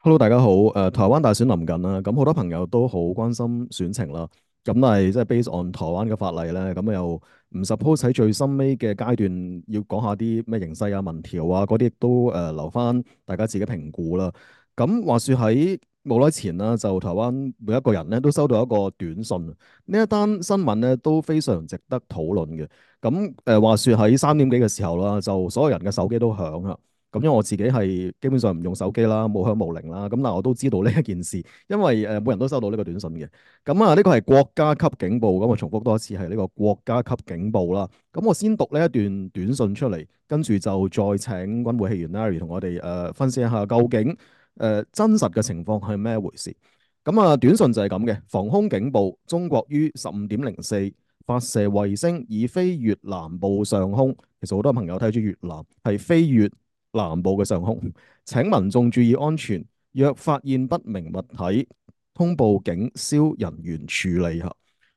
Hello，大家好。台灣大選臨近啦，咁好多朋友都好關心選情啦。咁但係即係 based on 台灣嘅法例咧，咁又唔 suppose 喺最深尾嘅階段要講下啲咩形勢啊、民調啊嗰啲，亦都留翻大家自己評估啦。咁話說喺冇耐前啦，就台灣每一個人咧都收到一個短訊，呢一單新聞咧都非常值得討論嘅。咁話說喺3點幾嘅時候啦，就所有人嘅手機都響啦。咁因為我自己係基本上唔用手機啦，無響無鈴啦，咁但我都知道呢一件事，因為每人都收到呢個短信嘅。咁啊，呢個係國家級警報，咁我重複多一次係呢個國家級警報啦。咁我先讀呢一段短信出嚟，跟住就再請軍會戲員 Larry 同我哋分析一下究竟真實嘅情況係咩回事。咁啊，短信就係咁嘅，防空警報，中國於15:04發射衛星以飛越南部上空。其實好多朋友睇住越南係飛越南部嘅上空，請民眾注意安全。若發現不明物體，通報警消人員處理下。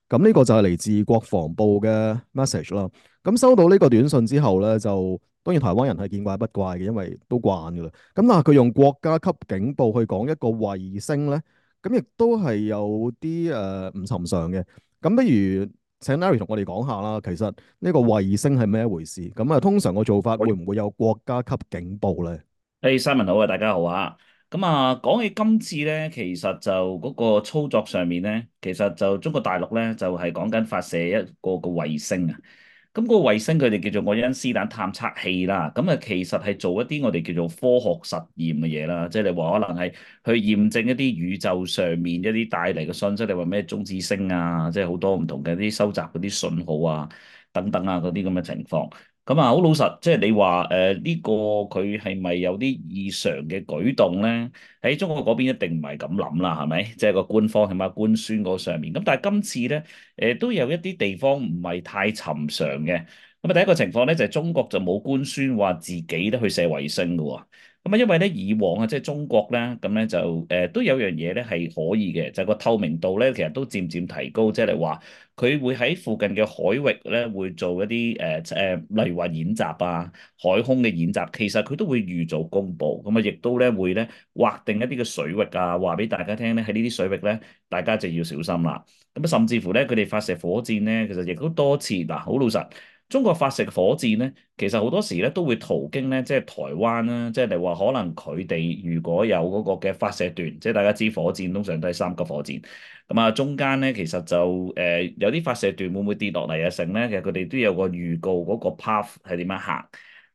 咁呢個就係嚟自國防部嘅 message 啦。咁收到呢個短信之後呢，就當然台灣人係見怪不怪嘅，因為都慣噶啦。咁但係佢用國家級警報去講一個衛星呢，咁亦都係有啲唔尋常嘅。咁不如請 Larry 同我哋講下啦，其實呢個衛星係咩一回事？咁啊，通常個做法會唔會有國家級警報呢？Simon 好啊，大家好啊。咁啊，講起今次咧，其實就嗰個操作上面咧，其實就中國大陸咧就係講緊發射一個衛星啊。咁個衛星佢哋叫做愛因斯坦探測器啦。咁啊，其實係做一啲我哋叫做科學實驗嘅嘢啦。即係你話可能係去驗證一啲宇宙上面一啲帶嚟嘅信息，你話咩中子星啊，即係好多唔同嘅啲收集嗰啲信號啊，等等啊嗰啲咁嘅情況。咁啊，好老實，即係你話呢個佢係咪有啲異常嘅舉動咧？喺中國嗰邊一定唔係咁諗啦，係咪？即係個官方起碼官宣嗰上面。咁但係今次咧，都有一啲地方唔係太尋常嘅。咁啊，第一個情況咧就係中國就冇官宣話自己咧去射衛星嘅喎。咁啊，因為咧以往啊，即係中國咧，咁咧就都有樣嘢咧係可以嘅，就係個透明度咧，其實都漸漸提高，即係你話。佢會喺附近嘅海域咧，會做一啲例如話演習啊、海空嘅演習，其實佢都會預早公佈，咁啊，亦都咧會咧劃定一啲嘅水域啊，話俾大家聽咧，喺呢啲水域咧，大家就要小心啦。咁啊，甚至乎咧，佢哋發射火箭咧，其實亦都多次嗱，好老實，中國發射火箭咧，其實好多時咧都會途經咧，即係台灣啦，即係你話可能佢哋如果有嗰個嘅發射段，即係大家知火箭通常都係3級火箭。咁啊，中間咧其實就有啲發射段會唔會跌落嚟啊？成咧，其實佢哋都有個預告嗰個 path 係點樣行，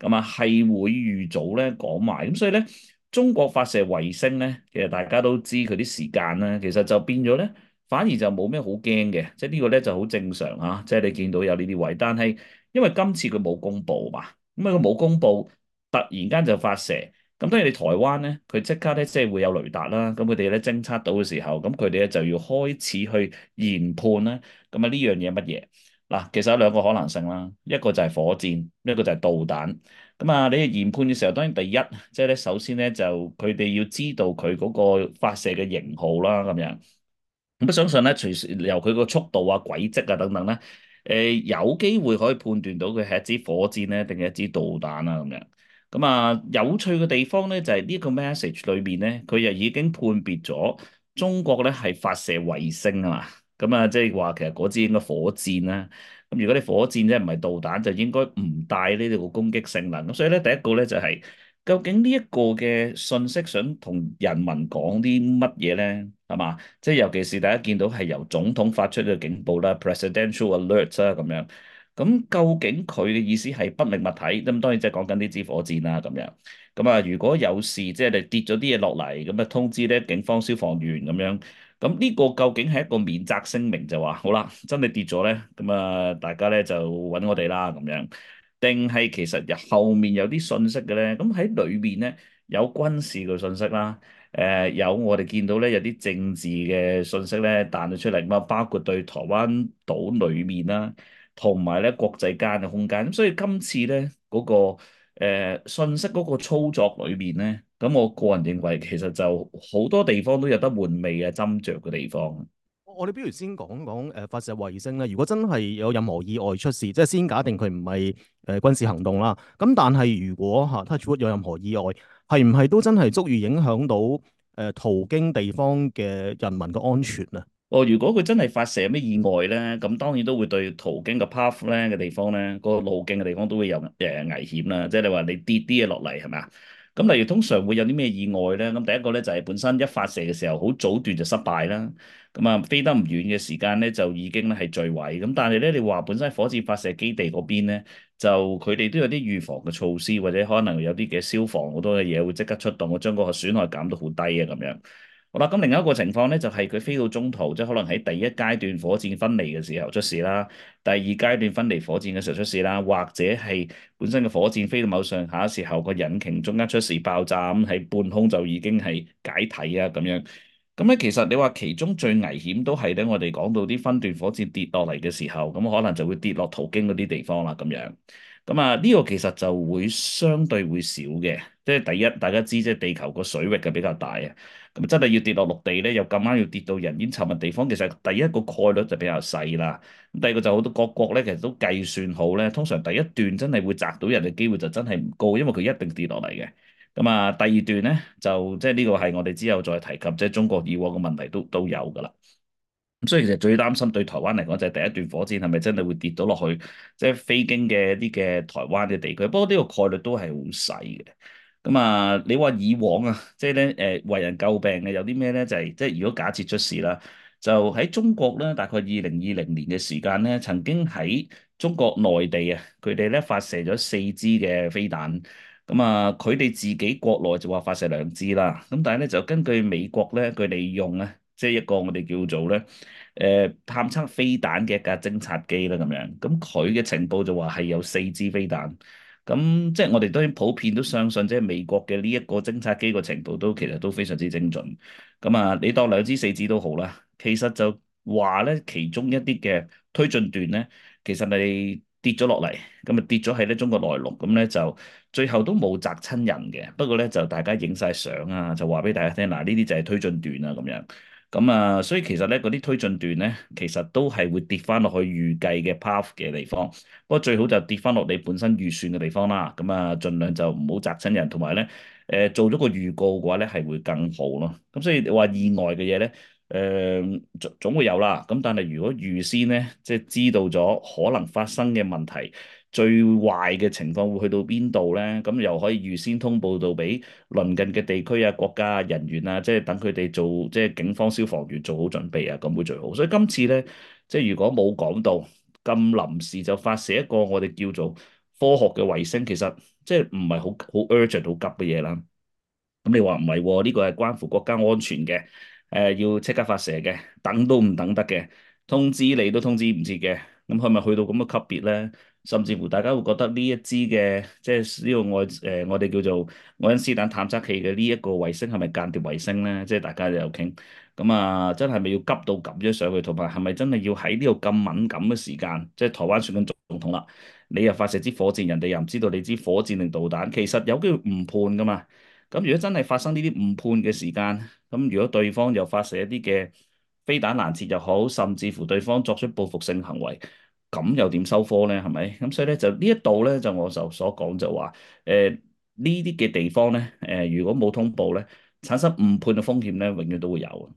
咁啊係會預早咧講埋，咁所以咧中國發射衛星咧，其實大家都知佢啲時間咧，其實就變咗咧，反而就冇咩好驚嘅，即係呢個咧就好正常啊，即係你見到有呢啲位，但係因為今次佢冇公佈嘛，咁啊佢冇公佈，突然間就發射。咁當然你台灣咧，佢即刻咧即係會有雷達啦，咁佢哋咧偵測到嘅時候，咁佢哋咧就要開始去研判啦。咁啊呢樣嘢乜嘢？嗱，其實有兩個可能性啦，一個就係火箭，一個就係導彈。咁啊，你研判嘅時候，當然第一即係咧，首先咧就佢哋要知道佢嗰個發射嘅型號啦，咁樣。咁相信咧，隨時由佢個速度啊、軌跡啊等等咧，有機會可以判斷到佢係一支火箭咧，定係一支導彈啊咁樣。咁啊，有趣嘅地方咧，就係呢個 message 裏邊咧，佢又已經判別咗中國咧係發射衛星啊嘛。咁啊，即係話其實嗰支應該火箭啦。咁如果你火箭即係唔係導彈，就應該唔帶呢個攻擊性能。咁所以咧，第一個咧就係究竟呢一個嘅信息想同人民講啲乜嘢咧？係嘛？即係尤其是大家見到係由總統發出嘅警報啦，presidential alert 啦咁樣。咁究竟佢嘅意思係不明物體？咁當然即係講緊呢支火箭啦咁樣。咁啊，如果有事，即係你跌咗啲嘢落嚟，咁啊通知咧警方、消防員咁樣。咁呢個究竟係一個免責聲明，就話好啦，真係跌咗咧，咁啊大家咧就揾我哋啦咁樣。定係其實後面有啲信息嘅咧？咁喺裏面咧有軍事嘅信息啦。有我哋見到咧有啲政治嘅信息咧彈咗出嚟，咁啊包括對台灣島裏面啦，同埋咧國際間嘅空間。咁所以今次咧嗰個信息嗰個操作裏面咧，咁我個人認為其實就好多地方都有得玩味嘅斟酌嘅地方。我哋不如先講講發射衛星咧。如果真係有任何意外出事，即係先假定佢唔係軍事行動啦。咁但係如果嚇 touch wood 有任何意外，係唔係都真係足以影響到途經地方嘅人民嘅安全啊？哦，如果佢真係發射咩意外咧，咁當然都會對途經嘅 path 咧嘅地方咧，個路徑嘅地方都會有危險啦。即係你話你跌啲嘢落嚟係咪啊？咁例如通常會有啲咩意外咧？咁第一個咧就係本身一發射嘅時候好早段就失敗啦。咁啊飛得唔遠嘅時間咧就已經咧係墜毀。咁但係咧你話本身火箭發射基地嗰邊咧，就佢哋都有啲預防嘅措施，或者可能有啲嘅消防好多嘅嘢會即刻出動，我將嗰個損害減到好低啊咁樣。好啦，咁另一個情況咧，就係佢飛到中途，即係可能喺第一階段火箭分離嘅時候出事啦，第二階段分離火箭嘅時候出事啦，或者係本身嘅火箭飛到某上下嘅時候，個引擎中間出事爆炸，咁喺半空就已經係解體啊咁樣。咁咧，其實你話其中最危險都係咧，我哋講到啲分段火箭跌落嚟嘅時候，咁可能就會跌落途經嗰啲地方啦咁樣。咁啊，呢個其實就會相對會少嘅，即係第一，大家知即係地球個水域嘅比較大啊，咁真係要跌落陸地咧，又咁啱要跌到人煙稠密地方，其實第一個概率就比較細啦。咁第二個就好多各國咧，其實都計算好咧，通常第一段真係會砸到人嘅機會就真係唔高，因為佢一定跌落嚟嘅。咁啊，第二段咧就即係呢個係我哋之後再提及，即係中國以往嘅問題都有㗎啦。咁所以其實最擔心對台灣嚟講就係第一段火箭係咪真係會跌到落去，即係飛經嘅啲嘅台灣嘅地區。不過呢個概率都係好細嘅。咁啊，你話以往啊，即係咧為人詬病嘅有啲咩咧？就係即係如果假設出事啦，就喺中國咧，大概2020年嘅時間咧，曾經喺中國內地啊，佢哋咧發射咗4支嘅飛彈。咁啊，佢哋自己國內就話發射2支啦。咁但係咧就根據美國咧，佢哋用咧。即係一個我哋叫做咧，探測飛彈嘅一架偵察機啦，咁樣，咁佢嘅情報就話係有4支飛彈，咁即係我哋當然普遍都相信，即係美國嘅呢一個偵察機個情報都其實都非常之精準，咁啊，你當2支4支都好啦，其實就話咧，其中一啲嘅推進段咧，其實係跌咗落嚟，咁啊跌咗喺咧中國內陸，咁咧就最後都冇砸親人嘅，不過咧就大家影晒相啊，就話俾大家聽，嗱呢啲就係推進段啊咁樣。咁啊，所以其實咧，嗰啲推進段咧，其實都係會跌翻落去預計嘅 path 嘅地方。不過最好就跌翻落你本身預算嘅地方啦。咁啊，盡量就唔好砸親人，同埋咧，做咗個預告嘅話咧，係會更好咯。咁所以你話意外嘅嘢咧，總會有啦。咁但係如果預先咧，即係知道咗可能發生嘅問題。最壞嘅情況會去到邊度咧？咁又可以預先通報到俾鄰近嘅地區啊、國家啊、人員啊，即係等佢哋做，即係警方、消防員做好準備啊，咁會最好。所以今次咧，即係如果冇講到咁臨時就發射一個我哋叫做科學嘅衛星，其實即係唔係好 urgent 好急嘅嘢啦。咁你話唔係喎？呢個係關乎國家安全嘅，要即刻發射嘅，等都唔等得嘅，通知你都通知唔切嘅，咁係咪去到咁嘅級別咧？甚至乎大家會覺得呢一支嘅，即係呢個我哋叫做愛因斯坦探測器嘅呢一個衛星係咪間諜衛星咧？即係大家都有傾，咁啊，真係咪要急到咁樣上去？同埋係咪真係要喺呢度咁敏感嘅時間？即係台灣選緊總統啦，你又發射支火箭，人哋又唔知道你支火箭定導彈，其實有機會誤判噶嘛？咁如果真係發生呢啲誤判嘅時間，咁如果對方又發射一啲嘅飛彈攔截又好，甚至乎對方作出報復性行為，咁又點收科咧？係咪？咁所以咧就呢一度咧就我就所講就話，呢啲嘅地方咧，如果冇通報咧，產生誤判嘅風險咧，永遠都會有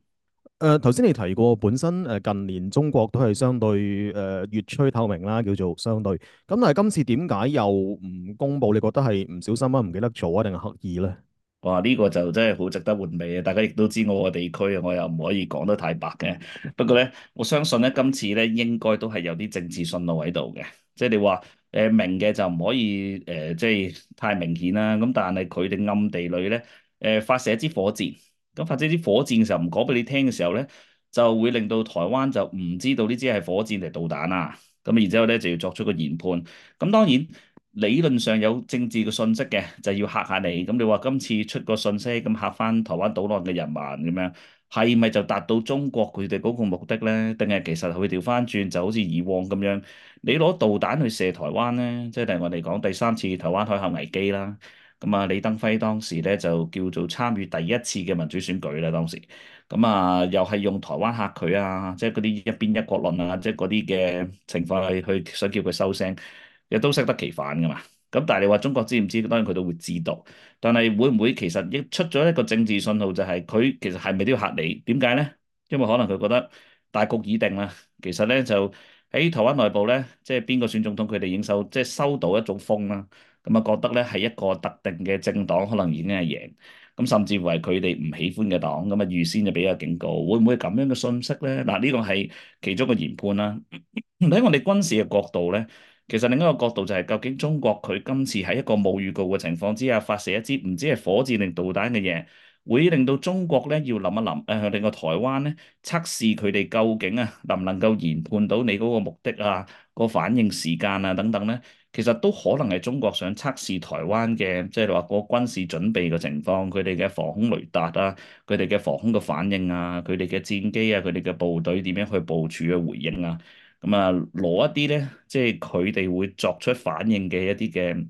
啊。頭先你提過本身近年中國都係相對越趨透明啦，叫做相對。咁但係今次點解又唔公佈？你覺得係唔小心啊，唔記得做啊，定係刻意咧？哇！呢個就真係好值得玩味啊！大家亦都知我個地區啊，我又唔可以講得太白嘅。不過咧，我相信咧今次咧應該都係有啲政治信號喺度嘅。即係你話明嘅就唔可以即係太明顯啦。咁但係佢哋暗地裏咧發射一支火箭，咁發射一支火箭嘅時候唔講俾你聽嘅時候咧，就會令到台灣就唔知道呢支係火箭定導彈啊。咁然之後咧就要作出個研判。咁當然。理論上有政治嘅信息嘅，就要嚇下你。咁你話今次出個信息，咁嚇翻台灣島內嘅人民咁樣，係咪就達到中國佢哋嗰個目的咧？定係其實佢調翻轉，就好似以往咁樣，你攞導彈去射台灣咧，即係例如我哋講第三次台灣海峽危機啦。咁啊，李登輝當時咧就叫做參與第一次嘅民主選舉啦，當時。咁啊，又係用台灣嚇佢啊，即係嗰啲一邊一國論啊，即係嗰啲嘅情況係去想叫佢收聲。亦都適得其反噶嘛。咁但係你話中國知唔知？當然佢都會知道，但係會唔會其實亦出咗一個政治信號，就係佢其實係咪都要嚇你？點解咧？因為可能佢覺得大局已定啦。其實咧就喺台灣內部咧，即係邊個選總統，佢哋已經即係收到一種風啦。咁啊覺得咧係一個特定嘅政黨可能已經係贏，咁甚至乎係佢哋唔喜歡嘅黨，咁啊預先就俾個警告，會唔會咁樣嘅信息咧？嗱，呢個係其中嘅研判啦。喺我哋軍事嘅角度咧，其實另一個角度就係究竟中國佢今次喺一個冇預告嘅情況之下發射一支唔知係火箭定導彈嘅嘢，會令到中國咧要諗一諗，令個台灣咧測試佢哋究竟能唔能夠研判到你嗰個目的啊、個反應時間啊等等咧，其實都可能係中國想測試台灣嘅，即係話個軍事準備嘅情況，佢哋嘅防空雷達啊，佢哋嘅防空嘅反應啊，佢哋嘅戰機啊，佢哋嘅部隊點樣去部署嘅回應啊。咁啊，攞一啲咧，即係佢哋會作出反應嘅一啲嘅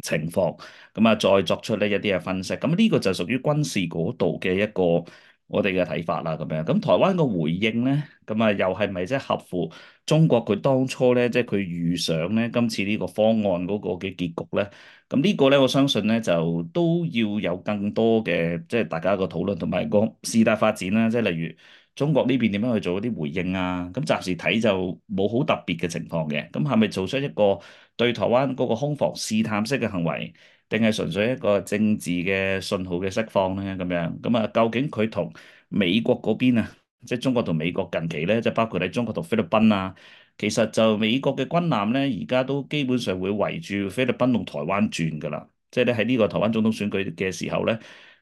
情況，咁啊，再作出呢一啲嘅分析。咁呢個就屬於軍事嗰度嘅一個我哋嘅睇法啦。咁樣，咁台灣個回應咧，咁啊，又係咪即係合乎中國佢當初咧，即係佢預想咧，今次呢個方案嗰個嘅結局咧？咁呢個咧，我相信咧就都要有更多嘅即係大家個討論同埋個事態發展啦。即係例如中國呢邊點樣去做一啲回應啊？咁暫時睇就冇好特別嘅情況嘅。咁係咪做出一個對台灣嗰個空防試探式嘅行為，定係純粹一個政治嘅信號嘅釋放咧？咁樣咁啊，究竟佢同美國嗰邊啊，即係中國同美國近期咧，即係包括喺中國同菲律賓啊，其實就美國嘅軍艦咧，而家都基本上會圍住菲律賓同台灣轉㗎啦。即係咧喺呢個台灣總統選舉嘅時候咧，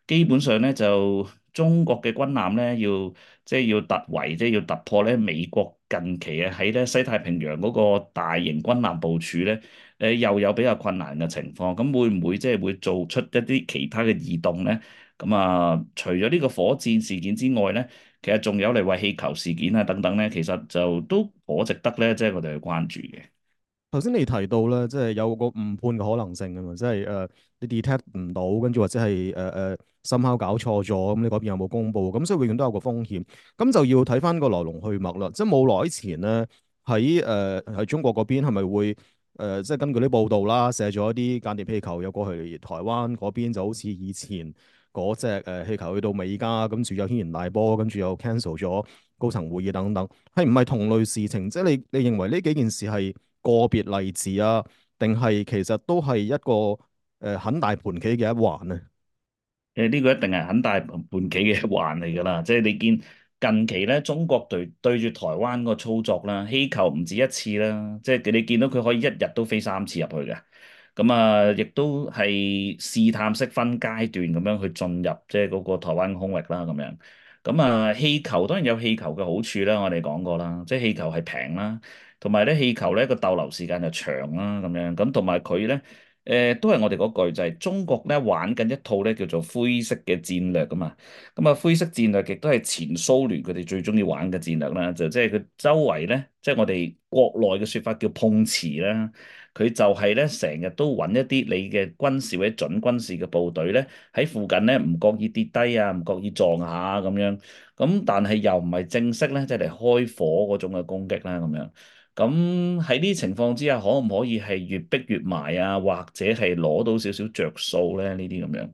基本上咧就中國嘅軍艦咧要即係要突圍，即係要突破咧美國近期喺咧西太平洋嗰個大型軍艦部署咧，又有比較困難嘅情況。咁會唔會即係會做出一啲其他嘅異動咧？咁啊，除咗呢個火箭事件之外咧，其實仲有嚟話氣球事件啊等等咧，其實就都頗值得咧，即係我哋去關注嘅。頭先你提到咧，即係有個誤判嘅可能性啊嘛，即係你 detect 唔到，跟住或者係somehow搞錯咗，咁你嗰邊有冇公佈？咁所以永遠都有個風險，咁就要睇翻個來龍去脈啦。即係冇耐前咧，喺中國嗰邊係咪會即係根據啲報道啦，射咗一啲間諜氣球有過去台灣嗰邊，就好似以前嗰隻氣球去到美加，跟住有軒然大波，跟住又 cancel 咗高層會議等等，係唔係同類事情？即係你認為呢幾件事係個別例子啊，定係其實都係一個很大盤棋嘅一環咧？呢個一定係很大盤棋嘅一環嚟㗎啦，即係你見近期咧，中國對住台灣個操作啦，氣球唔止一次啦，即係你見到佢可以一日都飛3次入去嘅，咁啊，亦都係試探式分階段咁樣去進入即係嗰個台灣空域啦，咁樣。咁啊，氣球當然有氣球嘅好處啦，我哋講過啦，即係氣球係平啦，同埋咧氣球咧個逗留時間就長啦，咁樣。咁同埋佢咧。都係我哋嗰句，就係中國咧玩緊一套咧叫做灰色嘅戰略噶嘛。咁啊，灰色戰略亦都係前蘇聯佢哋最中意玩嘅戰略啦。就即係佢周圍咧，即係我哋國內嘅説法叫碰瓷啦。佢就係咧成日都揾一啲你嘅軍事或者準軍事嘅部隊咧喺附近咧，唔覺意跌低啊，唔覺意撞下咁樣。咁但係又唔係正式咧，即係嚟開火嗰種嘅攻擊啦咁樣。咁喺呢啲情況之下，可唔可以係越逼越埋啊？或者係攞到少少着數咧？呢啲咁樣，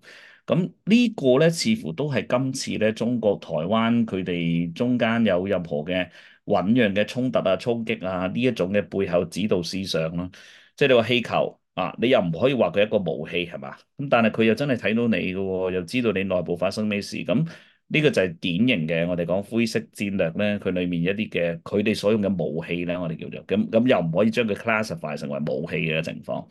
咁呢個咧似乎都係今次咧中國台灣佢哋中間有任何嘅醞釀嘅衝突啊、衝擊啊呢一種嘅背後指導思想咯。即係你話氣球啊，你又唔可以話佢係一個武器係嘛？咁但係佢又真係睇到你嘅喎，又知道你內部發生咩事咁。呢個就係典型嘅，我哋講灰色戰略咧，佢裡面一啲嘅佢哋所用嘅武器咧，我哋叫做咁又唔可以將佢 classify 成為武器嘅情況。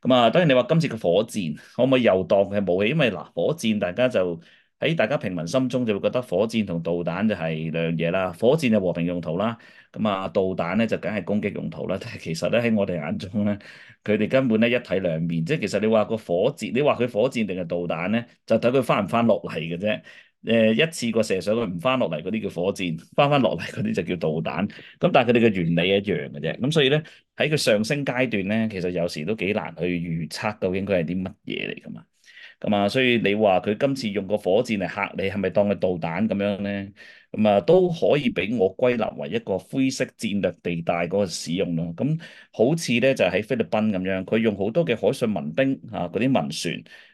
咁啊，當然你話今次嘅火箭可唔可以又當佢係武器？因為嗱，火箭大家就喺大家平民心中就會覺得火箭同導彈就係兩樣嘢啦。火箭就和平用途啦，咁啊導彈咧就梗係攻擊用途啦。但係其實咧喺我哋眼中咧，佢哋根本咧一體兩面，即係其實你話個火箭，你話佢火箭定係導彈咧，就睇佢翻唔翻落嚟嘅啫。一次過射上去唔翻落嚟嗰啲叫火箭，翻落嚟嗰啲就叫導彈。咁但係佢哋嘅原理一樣嘅啫。咁所以咧喺佢上升階段咧，其實有時都幾難去預測究竟佢係啲乜嘢嚟噶嘛。咁啊，所以你話佢今次用個火箭嚟嚇你，係咪當佢導彈咁樣咧？咁啊，都可以俾我歸納為一個灰色戰略地帶嗰個使用咯。咁好似咧就喺菲律賓咁樣，佢用好多嘅海上民兵啊，嗰啲民船。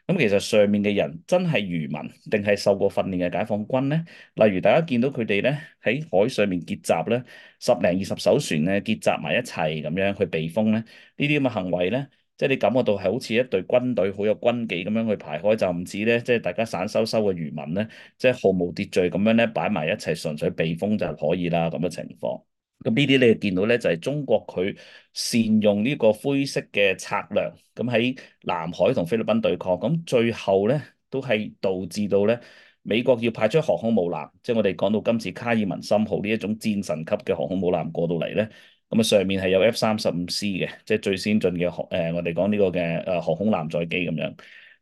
咁其實上面嘅人真係漁民定係受過訓練嘅解放軍呢？例如大家見到佢哋咧喺海上面結集咧，十零二十艘船咧結集埋一齊咁樣去避風咧，呢啲咁嘅行為咧。即係你感覺到係好似一隊軍隊好有軍紀咁樣去排開，就唔似咧，即係大家散修修嘅漁民咧，即係毫無秩序咁樣咧擺埋一齊，純粹避風就可以啦咁嘅情況。咁呢啲你就見到咧，就係中國佢善用呢個灰色嘅策略，咁喺南海同菲律賓對抗，咁最後咧都係導致到咧美國要派出航空母艦，即係我哋講到今次卡爾文森號呢一種戰神級嘅航空母艦過到嚟咧。咁啊，上面係有 F-35C 嘅，即係最先進嘅我哋講呢個嘅航空艦載機咁樣。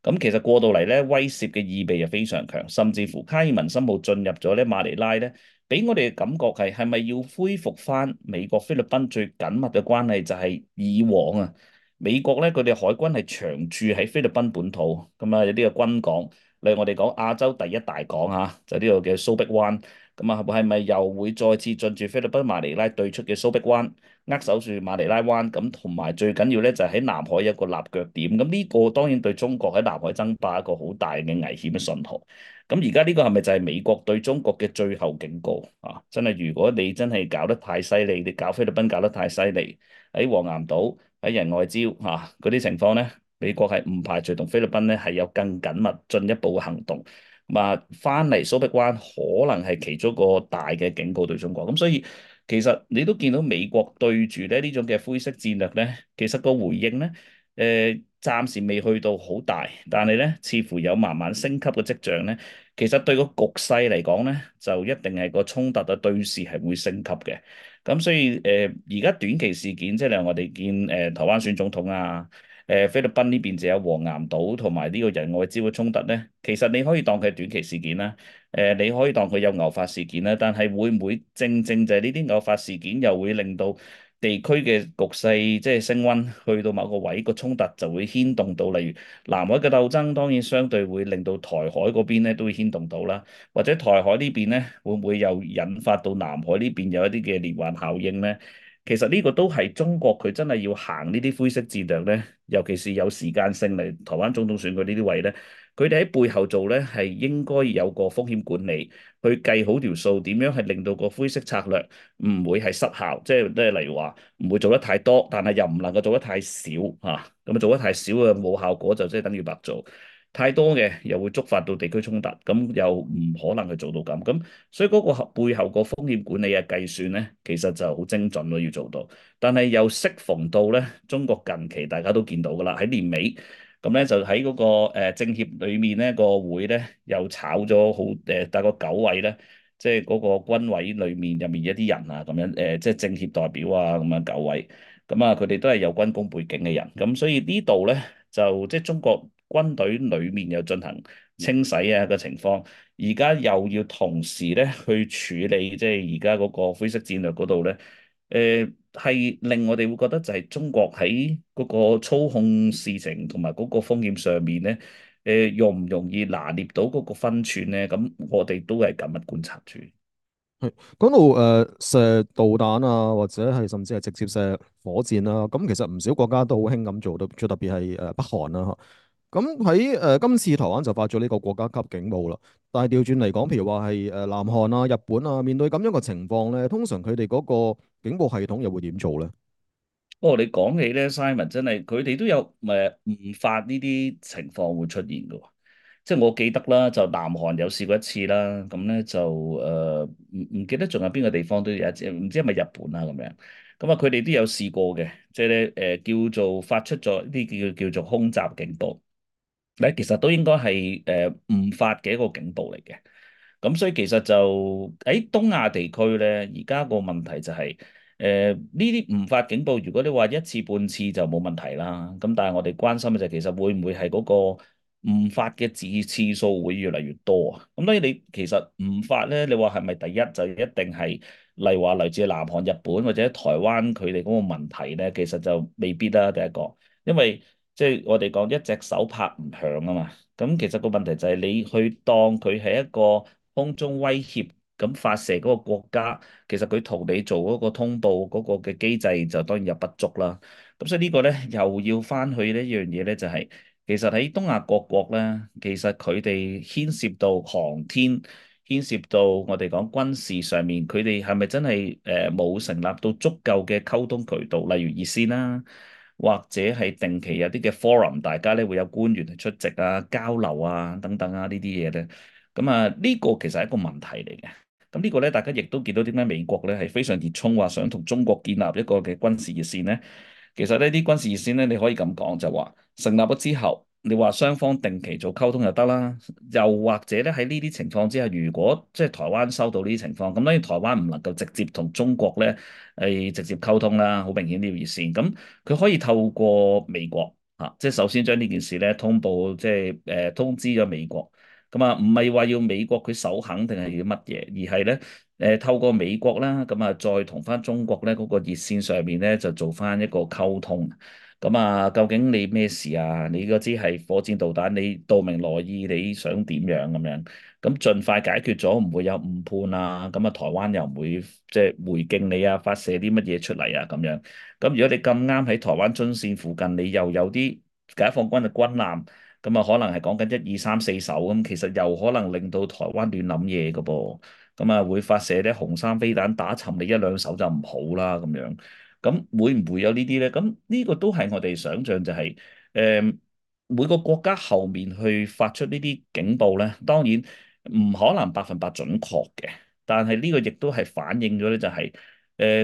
咁其實過到嚟咧，威懾嘅意味又非常強，甚至乎卡爾文森號進入咗咧馬尼拉咧，俾我哋嘅感覺係咪要恢復翻美國菲律賓最緊密嘅關係？就係以往啊，美國咧佢哋海軍係長駐喺菲律賓本土，咁啊有啲嘅軍港，例如我哋講亞洲第一大港啊，就呢度嘅蘇碧灣。咁啊，係咪又會再次進駐菲律賓馬尼拉對出嘅蘇碧灣，握手住馬尼拉灣？咁同埋最緊要咧，就係喺南海有一個立腳點。咁呢個當然對中國喺南海爭霸一個好大嘅危險嘅信號。咁而家呢個係咪就係美國對中國嘅最後警告啊？真係，如果你真係搞得太犀利，你搞菲律賓搞得太犀利，喺黃岩島、喺仁愛礁嗰啲情況咧，美國係唔排除同菲律賓咧係有更緊密進一步嘅行動。啊，翻嚟蘇碧灣可能係其中一個大嘅警告對中國，咁所以其實你都見到美國對住咧呢種嘅灰色戰略咧，其實個回應咧，暫時未去到好大，但係咧似乎有慢慢升級嘅跡象咧。其實對個局勢嚟講咧，就一定係個衝突嘅對峙係會升級嘅。咁所以而家短期事件，即係例如我哋見台灣選總統啊。菲律賓呢邊就有黃岩島同埋呢個仁愛礁嘅衝突咧，其實你可以當佢係短期事件啦，你可以當佢有偶發事件啦，但係會唔會正正就係呢啲偶發事件又會令到地區嘅局勢即係升溫，去到某個位個衝突就會牽動到，例如南海嘅鬥爭，當然相對會令到台海嗰邊咧都會牽動到啦，或者台海呢邊咧會唔會又引發到南海呢邊有一啲嘅連環效應咧？其實呢個都係中國佢真係要行呢啲灰色戰略咧，尤其是有時間性嚟台灣總統選舉呢啲位咧，佢哋喺背後做咧係應該有個風險管理，去計好條數，點樣係令到個灰色策略唔會係失效，即係例如話唔會做得太多，但係又唔能夠做得太少嚇，咁做得太少嘅冇效果就即係等於白做。太多嘅又會觸發到地區衝突，咁又唔可能去做到咁，咁所以嗰個背後個風險管理嘅計算咧，其實就好精準咯，要做到。但係又適逢到咧，中國近期大家都見到噶啦，喺年尾咁咧就喺嗰個政協裏面咧個會咧又炒咗好大概9位咧，即係嗰個軍委裏面入面一啲人啊咁樣即係政協代表啊咁樣9位，咁啊佢哋都係有軍工背景嘅人，咁所以呢度咧。就即係中國軍隊裏面又進行清洗啊嘅情況，而家又要同時咧去處理即係而家嗰個灰色戰略嗰度咧，係令我哋會覺得就係中國喺嗰個操控事情同埋嗰個風險上面咧，容唔容易拿捏到嗰個分寸咧？咁我哋都係緊密觀察住。係講到射導彈啊，或者係甚至係直接射火箭啦，咁其實唔少國家都好興咁做到，最特別係北韓啦。咁喺今次台灣就發咗呢個國家級警報啦，但係調轉嚟講，譬如話係南韓啊、日本啊，面對咁樣嘅情況咧，通常佢哋嗰個警報系統又會點做咧？不過你講起咧，Simon 真係佢哋都有誤發呢啲情況會出現嘅喎。即係我記得啦，就南韓有試過一次啦，咁咧就唔記得仲有邊個地方都有一次，唔知係咪日本啊咁樣。咁啊，佢哋都有試過嘅，即係咧叫做發出咗呢啲叫做空襲警報。咧其實都應該係誤發嘅一個警報嚟嘅。咁所以其實就喺東亞地區咧，而家個問題就係呢啲誤發警報，如果你話一次半次就冇問題啦。咁但係我哋關心嘅就係其實會唔會係嗰個誤發嘅次數會越嚟越多啊？咁所以你其實誤發咧，你話係咪第一就一定係例如話嚟自南韓、日本或者台灣佢哋嗰個問題咧？其實就未必啦，第一個，因為即係我哋講一隻手拍唔響啊嘛。咁其實個問題就係你去當佢係一個空中威脅咁發射嗰個國家，其實佢同你做嗰個通報嗰個嘅機制就當然有不足啦。咁所以呢個咧又要翻去呢一樣嘢咧，就係其實喺東亞各國咧，其實佢哋牽涉到航天。牽涉到我哋講軍事上面，佢哋係咪真係冇成立到足夠嘅溝通渠道，例如熱線啦，或者係定期有啲嘅 forum，大家咧會有官員去出席啊、交流啊等等啊呢啲嘢咧，咁啊呢個其實係一個問題嚟嘅。咁呢個咧，大家亦都見到點解美國咧係非常熱衷話想同中國建立一個嘅軍事熱線咧？其實呢啲軍事熱線咧，你可以咁講就話成立咗之後，你話雙方定期做溝通就得啦。又或者咧喺呢啲情況之下，如果即係台灣收到呢啲情況，咁當然台灣唔能夠直接同中國咧係直接溝通啦，好明顯呢條熱線。咁佢可以透過美國即係首先將呢件事咧通報，即係通知咗美國。咁啊，唔係話要美國佢首肯定係要乜嘢，而係咧透過美國啦，咁啊再同翻中國咧嗰個熱線上面咧就做翻一個溝通。咁啊，究竟你咩事啊？你嗰支係火箭導彈，你道明來意，你想點樣咁樣？咁盡快解決咗，唔會有誤判啊！咁啊，台灣又唔會即係回敬你啊，發射啲乜嘢出嚟啊咁樣。咁如果你咁啱喺台灣津線附近，你又有啲解放軍嘅軍艦，咁啊可能係講緊一二三四艘咁，其實又可能令到台灣亂諗嘢嘅噃。咁啊會發射啲紅衫飛彈打沉你一兩手就唔好啦咁樣。咁會唔會有呢啲咧？咁呢個都係我哋想象就係、每個國家後面去發出呢啲警報咧，當然唔可能100%準確嘅，但係呢個亦都係反映咗咧，就係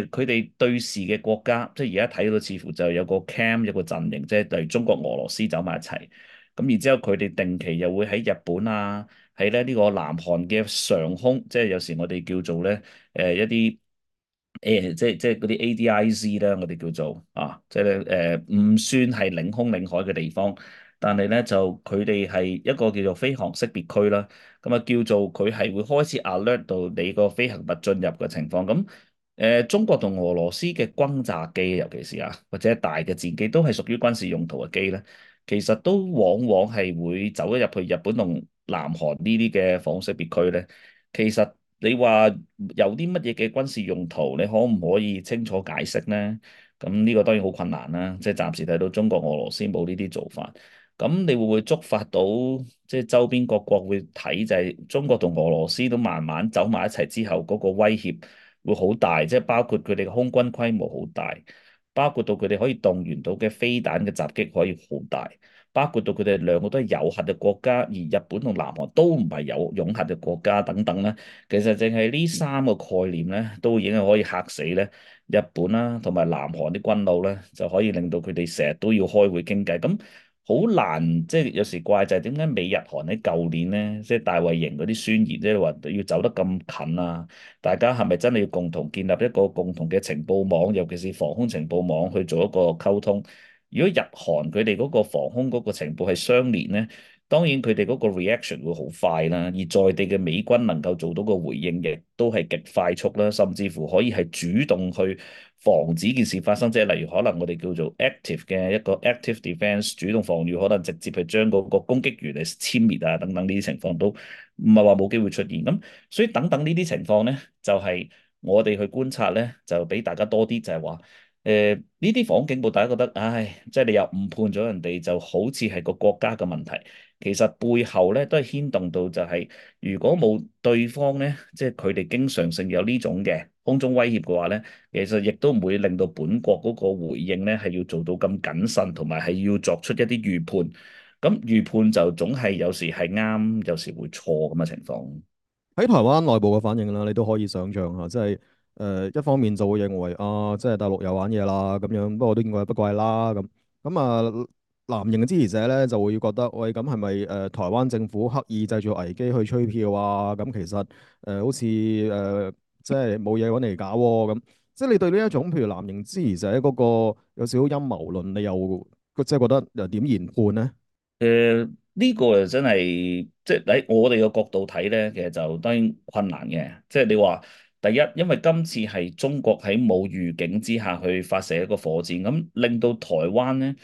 佢哋對視嘅國家，即係而家睇到似乎就有個 cam 有個陣營，即係例如中國、俄羅斯走埋一齊，咁然之後佢哋定期又會喺日本啊，喺咧呢個南韓嘅上空，即係有時我哋叫做咧一啲。即係嗰啲 ADIZ 咧，我哋叫做即係咧唔算係領空領海嘅地方，但係咧就佢哋係一個叫做飛航識別區啦。咁啊叫做佢係會開始 alert 到你個飛行物進入嘅情況。咁中國同俄羅斯嘅轟炸機，尤其是或者大嘅戰機，都係屬於軍事用途嘅機咧。其實都往往係會走咗入去日本同南韓呢啲嘅防空識別區咧。其實你話有啲乜嘢嘅軍事用途，你可唔可以清楚解釋呢？咁呢個當然好困難啦，即係暫時睇到中國、俄羅斯冇呢啲做法。咁你會唔會觸發到即係周邊各國會睇，就係中國同俄羅斯都慢慢走埋一齊之後，嗰個威脅會好大，即係包括佢哋嘅空軍規模好大，包括到佢哋可以動員到嘅飛彈嘅襲擊可以好大。包括到佢哋兩個都係有核嘅國家，而日本同南韓都唔係有擁核嘅國家等等咧。其實淨係呢三個概念咧，都已經係可以嚇死咧日本啦，同埋南韓啲軍佬咧，就可以令到佢哋成日都要開會傾偈。咁好難，即係有時怪就係點解美日韓喺舊年咧，即係大衛營嗰啲宣言，即係話要走得咁近啊？大家係咪真係要共同建立一個共同嘅情報網，尤其是防空情報網去做一個溝通？如果日韓佢哋嗰個防空嗰個情報係相連咧，當然佢哋嗰個 reaction 會好快啦，而在地嘅美軍能夠做到個回應，亦都係極快速啦，甚至乎可以係主動去防止件事發生，即係例如可能我哋叫做 active 嘅一個 active defence 主動防禦，可能直接去將嗰個攻擊員嚟殲滅啊等等呢啲情況都唔係話冇機會出現。咁所以等等呢啲情況咧，就係我哋去觀察咧，就俾大家多啲就係話。呢啲防空警報，大家覺得，唉，即係你又誤判咗人哋，就好似係個國家嘅問題。其實背後咧都係牽動到就係、如果冇對方咧，即係佢哋經常性有呢種嘅空中威脅嘅話咧，其實亦都唔會令到本國嗰個回應咧係要做到咁謹慎，同埋係要作出一啲預判。咁預判就總係有時係啱，有時會錯咁嘅情況。喺台灣內部嘅反應啦，你都可以想象下，即係一方面就會認為啊，即係大陸又玩嘢啦咁樣，不過都見怪不怪啦咁。咁啊，藍營嘅支持者咧就會覺得，喂，咁係咪台灣政府刻意製造危機去吹票啊？咁其實好似即係冇嘢揾嚟搞喎咁。即係你對呢一種譬如藍營支持者嗰個有少少陰謀論，你又即係覺得又點研判呢？呢個就真係即係喺我哋嘅角度睇咧，其實就當然困難嘅。即係你話第一，因為今次係中國喺冇預警之下去發射一個火箭，咁令到台灣咧。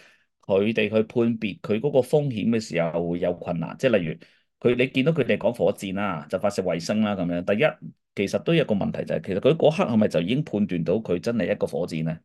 佢哋去判別佢嗰個風險嘅時候會有困難，即係例如你見到佢哋講火箭啦，就發射衛星啦咁樣。第一，其實都有一個問題就係、其實佢嗰刻係咪就已經判斷到佢真係一個火箭咧？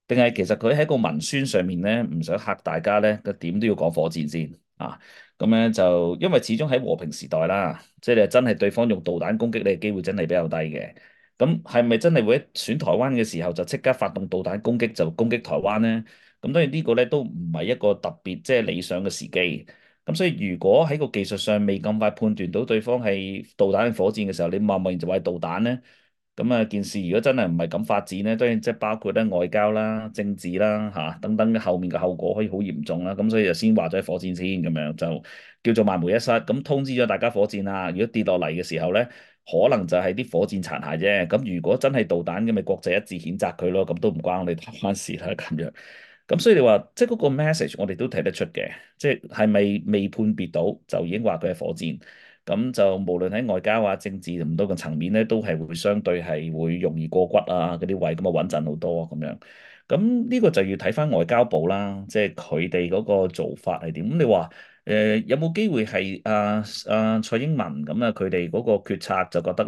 定係其實佢喺個文宣上面咧，唔想嚇大家咧，佢點都要講火箭先啊？咁咧就因為始終喺和平時代啦，即係你真係對方用導彈攻擊你嘅機會真係比較低嘅。咁係咪真係會喺選台灣嘅時候就即刻發動導彈攻擊就攻擊台灣咧？咁當然呢個咧都唔係一個特別即係理想嘅時機。咁所以如果喺個技術上未咁快判斷到對方係導彈定火箭嘅時候，你貿貿然就話係導彈咧？咁啊，件事如果真係唔係咁發展咧，當然即係包括咧外交啦、政治啦等等嘅後面嘅後果可以好嚴重啦。咁所以就先話咗係火箭先咁樣，就叫做萬無一失。咁通知咗大家火箭啦，如果跌落嚟嘅時候咧，可能就係啲火箭殘骸啫。咁如果真係導彈嘅，咪國際一致譴責佢咯。咁都唔關我哋台灣事啦。咁樣。咁所以你話即係嗰個 message，我哋都睇得出嘅，即係咪未判別到就已經話佢係火箭？咁就無論喺外交啊、政治唔多個層面咧，都係會相對係會容易過骨啊嗰啲位，咁啊穩陣好多啊咁樣。咁呢個就要睇翻外交部啦，即係佢哋嗰個做法係點。咁你話有冇機會係蔡英文咁啊？佢哋嗰個決策就覺得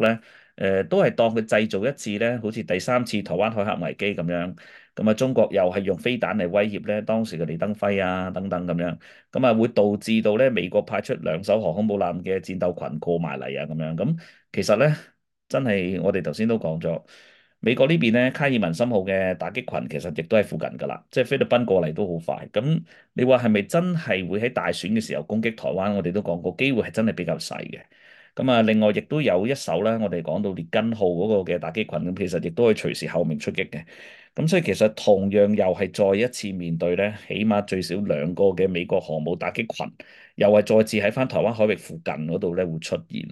咧，都係當佢製造一次咧，好似第三次台灣海峽危機咁樣。咁啊，中國又係用飛彈嚟威脅咧當時嘅李登輝啊等等咁樣。咁啊，會導致到咧美國派出兩艘航空母艦嘅戰鬥群過埋嚟啊，咁樣咁其實咧真係我哋頭先都講咗，美國呢邊咧卡爾文森號嘅打擊群其實亦都係附近㗎啦，即係菲律賓過嚟都好快。咁你話係咪真係會喺大選嘅時候攻擊台灣？我哋都講過，機會係真係比較細嘅。咁啊，另外亦都有一艘咧，我哋講到列根號嗰個嘅打擊群，咁其實亦都可以隨時後面出擊嘅。咁所以其實同樣又係再一次面對咧，起碼最少兩個嘅美國航母打擊群，又係再次喺翻台灣海域附近嗰度咧會出現。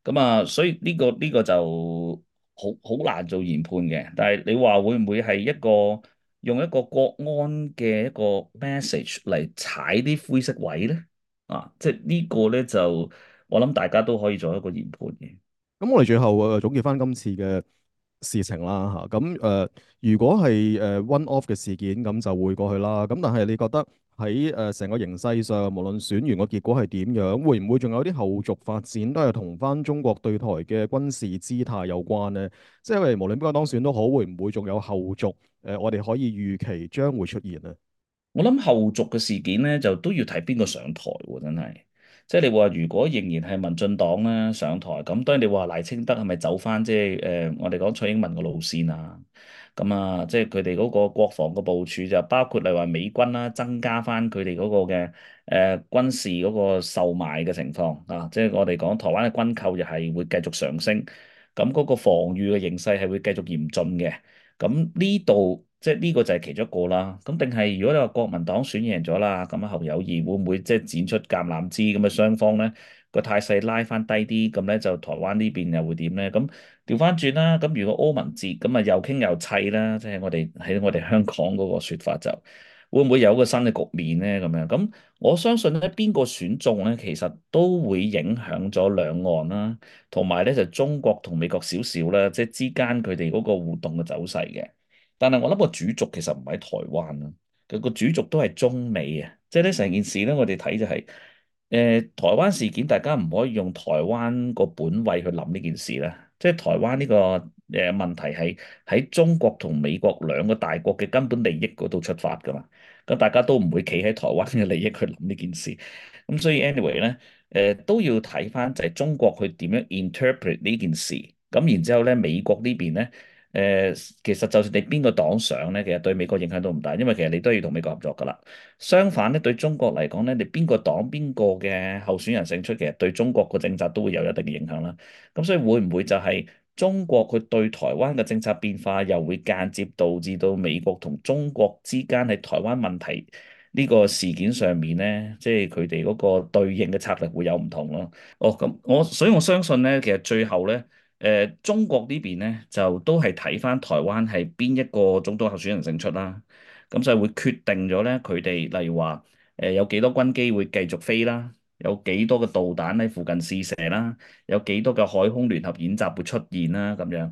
咁啊，所以呢個就好難做研判嘅。但係你話會唔會係用一個國安嘅一個 message 嚟踩啲灰色位咧？啊，即係呢個咧就我諗大家都可以做一個研判嘅。咁我哋最後總結翻今次嘅事情啦嚇，如果係one off 嘅事件，咁就會過去啦。咁但係你覺得喺成個形勢上，無論選完個結果係點樣，會唔會仲有啲後續發展都係同翻中國對台嘅軍事姿態有關呢？即係無論邊個當選都好，會唔會仲有後續？我哋可以預期將會出現呢？我諗後續嘅事件咧，就都要睇邊個上台喎，真係。即係你話如果仍然係民進黨咧上台，咁當然你話賴清德係咪走翻即係我哋講蔡英文嘅路線啊？咁啊，即係佢哋嗰個國防嘅部署就包括例如話美軍啦，增加翻佢哋嗰個嘅軍事嗰個售賣嘅情況啊，即係我哋講台灣嘅軍購又係會繼續上升，咁嗰個防禦嘅形勢係會繼續嚴峻嘅。咁呢度即係呢個就係其中一個啦。咁定係如果你話國民黨選贏咗啦，咁啊侯友宜會唔會即係展出橄欖枝咁嘅雙方咧個態勢拉翻低啲，咁咧就台灣呢邊又會點咧？咁調翻轉啦，咁如果柯文哲咁啊又傾又砌啦，即係我哋香港嗰個説法就會唔會有個新嘅局面咧？咁樣咁我相信咧邊個選中咧，其實都會影響咗兩岸啦。同埋咧就中國同美國少少啦，即係之間佢哋嗰個互動嘅走勢嘅。但係我諗個主軸其實唔喺台灣啦，佢個主軸都係中美啊。即係咧成件事咧，我哋睇就係、台灣事件，大家唔可以用台灣個本位去諗呢件事啦。即係台灣呢個問題係喺中國同美國兩個大國嘅根本利益嗰度出發㗎嘛。咁大家都唔會企喺台灣嘅利益去諗呢件事。咁所以 anyway 咧。都要睇翻就係中國去點樣 interpret 呢件事，咁然之後咧美國呢邊咧，其實就算你邊個黨上咧，其實對美國影響都唔大，因為其實你都要同美國合作噶啦。相反咧，對中國嚟講咧，你邊個黨邊個嘅候選人勝出，其實對中國個政策都會有一定嘅影響啦。咁所以會唔會就係中國佢對台灣嘅政策變化，又會間接導致到美國同中國之間喺台灣問題呢個事件上面咧，即係佢哋嗰個對應嘅策略會有唔同咯。哦，咁所以我相信咧，其實最後咧，中國呢邊咧就都係睇翻台灣係邊一個總統候選人勝出啦。咁就係會決定咗咧，佢哋例如話有幾多軍機會繼續飛啦，有幾多嘅導彈喺附近試射啦，有幾多嘅海空聯合演習會出現啦，咁樣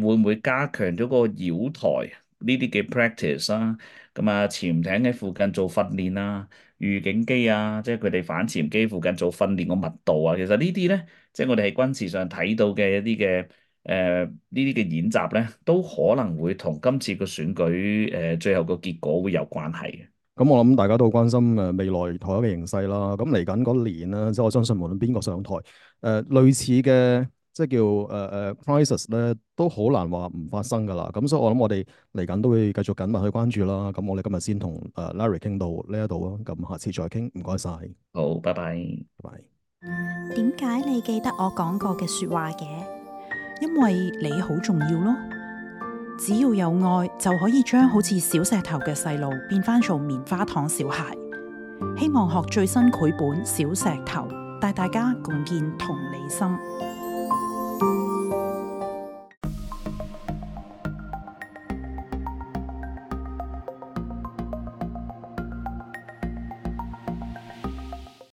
會唔會加強咗個擾台？呢啲嘅 practice 啦，咁啊潛艇喺附近做訓練啊，預警機啊，即係佢哋反潛機附近做訓練個密度啊，其實呢啲咧，即係我哋喺軍事上睇到嘅一啲嘅呢啲嘅演習咧，都可能會同今次個選舉最後個結果會有關係嘅。咁我諗大家都好關心未來台灣嘅形勢啦。咁嚟緊嗰年啦，即係我相信無論邊個上台，類似嘅即係叫crisis 咧，都好難話唔發生噶啦。咁所以我諗我哋嚟緊都會繼續緊密去關注啦。咁我哋今日先同Larry 傾到呢一度啊。咁下次再傾，唔該晒，好，拜拜。拜拜。點解你記得我講過嘅說話嘅？因為你好重要咯。只要有愛，就可以將好似小石頭嘅細路變返做棉花糖小孩。希望學最新繪本《小石頭》，帶大家共建同理心。